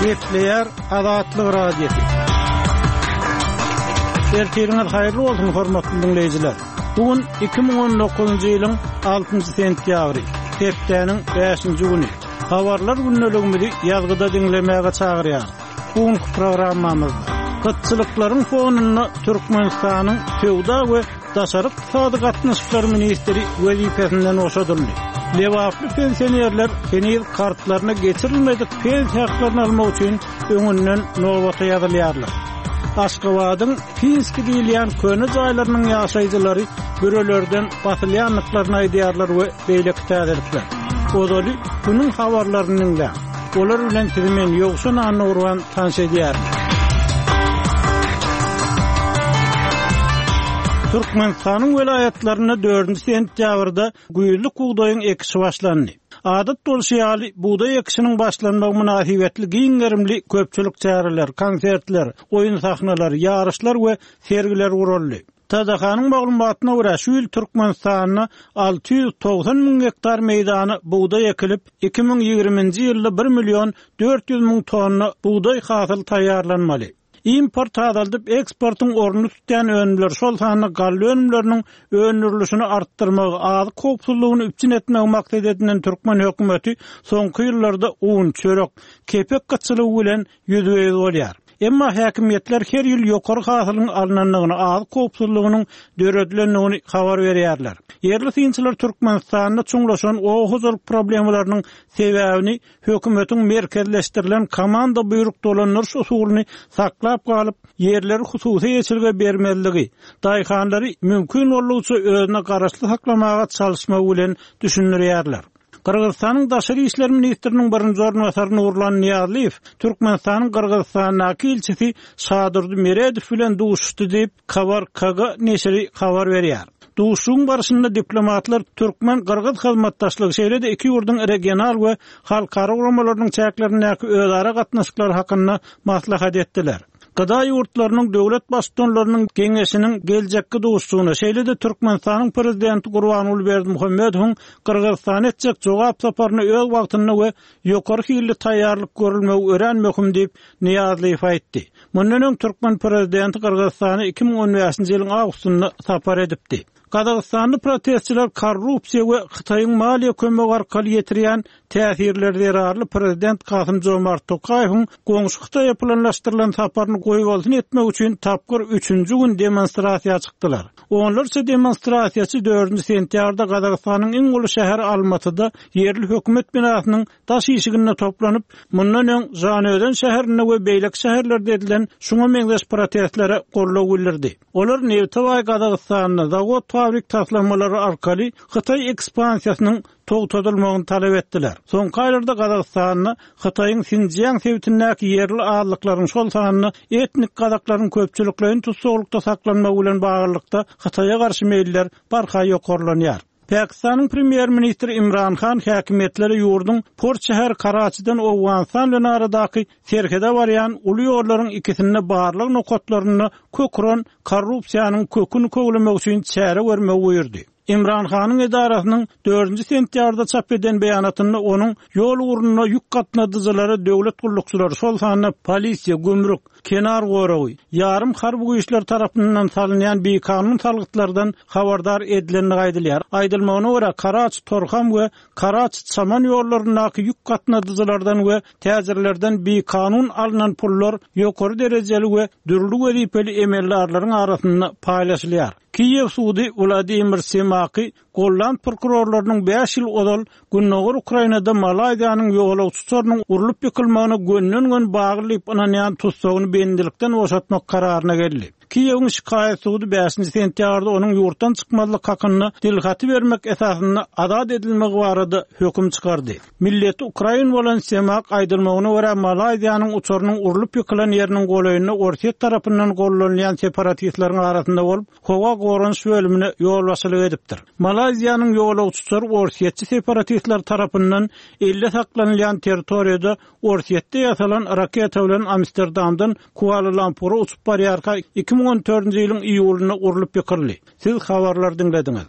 Gepleýär Azatlyk Radiosy. Ertiriňiz haýyrly bolsun, hormatly diňleýjiler. Bu gün 2019-njy ýylyň 6-njy sentýabry, hepdäniň 5-nji güni. Habarlar gündeligimizi ýazgyda diňlemäge çagyrýarys. Bu günki programmamyzda gytçylyklaryň fonunda Türkmenistanyň söwda we daşary ykdysady gatnaşyklar ministri wezipesinden boşadyldy. Lebaply pensionerler heniz kartlaryna geçirilmedik pensiýa haklaryny almak üçin öňünden nobata ýazylýarlar. Aşgabadyň Pinski diýilýän köne jaýlarynyň ýaşaýjylary bürelerden basylýandyklaryny aýdýarlar we beýleki täzelikler. Ozaly günüň habarlaryny diňläň. Olar bilen sizi men Ýowşan Annagurban tanyş edýärin. Türkmenistanyň welaýatlarynda dördünji sentýabrda güýzlük bugdaýyň ekişi başlandy. Adat bolşy ýaly, bugdaý ekişiniň başlanmagy mynasybetli giň gerimli köpçülik çäreler, konsertler, oýun sahnalary, ýaryşlar we sergiler guraldy. TDH-nyň maglumatyna görä, şu ýyl Türkmenistanda 690 müň gektar meýdana bugdaý ekilip, 2020-nji ýylda bir million 400 müň tonna bugdaý hasyly taýýarlanmaly. Importy azaldyp, eksportyň ornuny tutýan önümler, şol sanda galla önümleriniň öndürilişini artdyrmagy, azyk howpsuzlygyny üpjün etmegi maksat edinen türkmen hökümeti soňky ýyllarda un, çörek, kepek gytçylygy bilen ýüzbe-ýüz bolýar. Emma häkimiýetler her ýyl ýokary hasylyň alnandygyny, azyk howpsuzlygynyň döredilendigini habar berýärler. Ýerli synçylar Türkmenistanda çuňlaşan oba hojalyk problemalarynyň sebäbini hökümetiň merkezleşdirilen komanda-buýruk dolandyryş usulyny saklap galyp, ýerleri hususy eýeçilige bermezligi, daýhanlary mümkin boldugyça özüne garaşly saklamaga çalyşmagy bilen düşündirýärler. Gyrgyzystanyň daşary işler ministriniň birinji orunbasary Nurlan Nyýazlyýew Türkmenistanyň Gyrgyzystandaky ilçisi Şadurdy Meredow bilen duşuşdy diýip, Kabar KG neşiri habar berýär. Duşuşygyň barşynda diplomatlar türkmen-gyrgyz hyzmatdaşlygy, şeýle-de iki ýurduň regional we halkara guramalarynyň çäklerindäki özara gatnaşyklary hakynda maslahat etdiler. GDA ýurtlarynyň döwlet Baştutanlarynyň Geňeşiniň geljekki duşuşygyna, şeýle-de Türkmenistanyň Prezidenti Gurbanguly Berdimuhamedowyň Gyrgyzystana etjek jogap saparyna öz wagtynda we ýokary hilli taýýarlyk görülmegi örän möhüm diýip, Nyýazlyýew aýtdy. Mundan öň türkmen prezidenti Gyrgyzystana 2015-nji ýylyň awgustynda sapar edipdi. Gazagystanly protestçiler korrupsiýa we Hytaýyň maliýe kömegi arkaly ýetirýän täsirleri zerarly prezident Kasym-Jomart Tokaýewiň goňşy Hytaýa planlaşdyrylan saparyny goýbolsun etmek üçin tapgyr üçünji gün demonstrasiýa çykdylar. Onlarça demonstrasiýaçy dördünji sentýabrda Gazagystanyň iň uly şäheri Almatyda ýerli hökümet binasynyň daş işiginde toplanyp, mundan öň Žanaözen şäherinde we beýleki şäherlerde edilen şuňa meňzeş protestlere goldaw bildirdi. Olar nebite baý Gazagystanda zawod-fabrik taslamalary arkaly hytaý ekspansiýasynyň togtadylmagyny talap etdiler. Soňky aýlarda Gazagystanda Hytaýyň Sinjiang sebitindäki ýerli azlyklaryň, şol sanda etnik gazaklaryň köpçülikleýin tussaglykda saklanmagy bilen baglylykda Hytaýa garşy meýiller barha ýokarlanýar. Pakistanyň premýer-ministri Imran Han häkimiýetlere ýurduň port şäheri Karaçiden Owganystan bilen aradaky serhede barýan uly ýollaryň ikisinde barlag nokatlarynda kök uran korrupsiýanyň köküni köwlemek üçin çäre görmegi buýurdy. Imran Hanyň edarasynyň dördünji sentýabrda çap eden beýanatynda onuň ýol ugrunda ýük gatnadyjylara döwlet gullukçylary, şol sanda polisiýa, gümrük, kenar goragy, ýarym harby güýçler tarapyndan salynýan bikanun salgytlardan habardar edilendigi aýdylýar. Aýdylmagyna görä, Karaç-Torham we Karaç-Çaman ýollaryndaky ýük gatnadyjylardan we täjirlerden bikanun alnan pullar ýokary derejeli we dürli wezipeli emeldarlaryň arasynda paýlaşylýar. Kiýew sudy Wladimir Semaky golland prokurorlarynyň bäş ýyl ozal gündogar Ukrainada Malaýziýanyň ýolagçy uçarynyň urlup ýykylmagyna gönden-göni bagly diýip ynanýan tussagyny bendilikden boşatmak kararyna geldi. Kiýewiň şikaýat sudy bäşinji sentýabrda onuň ýurtdan çykmazlyk hakynda dilhaty bermek esasynda azat edilmegi barada höküm çykardy. Milleti ukrain bolan Semak, aýdylmagyna görä, Malaýziýanyň uçarynyň urlup ýykylan ýeriniň golaýynda Orsýet tarapyndan gollanylýan separatistleriň arasynda bolup, howa goranyş bölümine ýolbaşçylyk edipdir. Malaýziýanyň ýolagçy uçary orsýetçi separatistler tarapyndan elde saklanylýan territoriýada Orsýetde ýasalan raketa bilen Amsterdamdan Kuala-Lumpura uçup barýarka 2014-nji ýylyň iýulynda urlup ýykyldy. Siz habarlary diňlediňiz.